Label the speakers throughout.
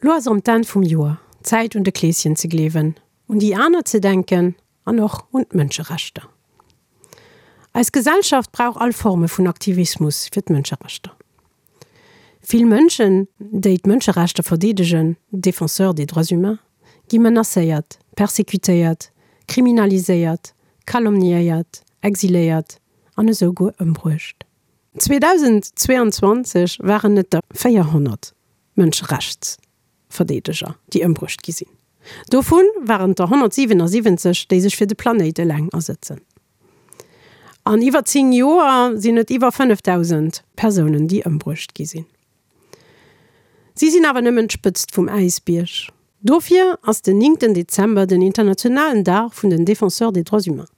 Speaker 1: Lo ass erëm d'Enn vum Joer, Zäit un de Kleeschen ze gleewen, un déi aner ze denken an och un d'Mënscherechter. Eis Gesellschaft brauch all Forme vun Aktivismus fir d'Mënscherechter. Vill Mënschen, déi d'Mënscherechter verdeedegen, Défenseurs des droits humains, gi menacéiert, persecutéiert, kriminaliséiert, calomniéiert, exiléiert an esou guer ëmbruecht. 2022 waren et der 400 Mënscherechtsverdeedeger, déi ëmbruecht gi sinn. Dovu waren et der 177, déi sech fir de Planéit eleng asëtzen. An iwwer 10 Joer sinn et iwwer 5.000 Persounen, déi ëmbruecht gi sinn. Si sinn awer nëmmen d'Spëtzt vum Äisbierg. Dofir ass den néngten Dezember den internationalen Dag vun den Défenseurs des droits humains.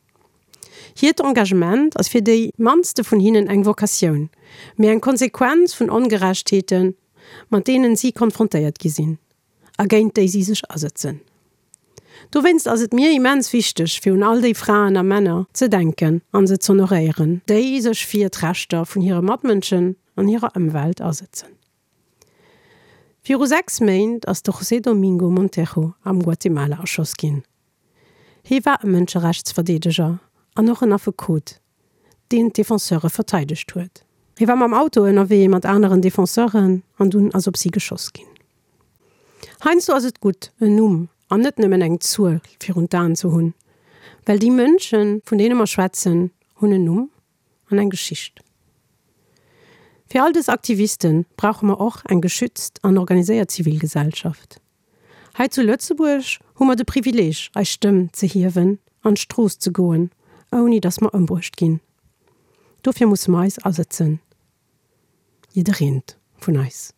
Speaker 1: Hiert Engagement ass fir déi mannste vun hinnen eng Vocatioun, mee eng Konsequenz vun Ongerechtheeten, mat deenen si konfrontéiert gi sinn a géint déi si sech asëtzen. Dowéinst ass et mir immens wichteg, fir un all déi Fraen a Männer ze denken an se z'honoréieren, déi sech fir d'Rechter vun hire Matmënschen an hirer Ëmwelt asëtzen. Viru 6 Méint ass de José Domingo Montejo am Guatemala erschoss ginn. Hie war e Mënscherechtsverdeedeger an och en Affekot, deen d'Defenseure verteidegt huet. Hie war mam Auto ënnerwee mat aneren Defenseuren an dunn ass op si geschoss ginn. Heiansdo ass et gutt, en Numm an net nëmmen eng Zuel virun d'Aen ze hunn, well déi Mënschen, vun deene mer schwätzen, hunn en Numm an eng Geschicht. Fir all dës Aktiviste brauche mer och eng geschützt an organiséiert Zivilgesellschaft. Hei zu Lëtzebuerg hu mer de Privileeg, eis Stëmm ze hiewen, an d'Strooss ze goen, ouni datt mer ëmbruecht ginn. Dofir musse mer eis asëtzen, jiddereent vun eis.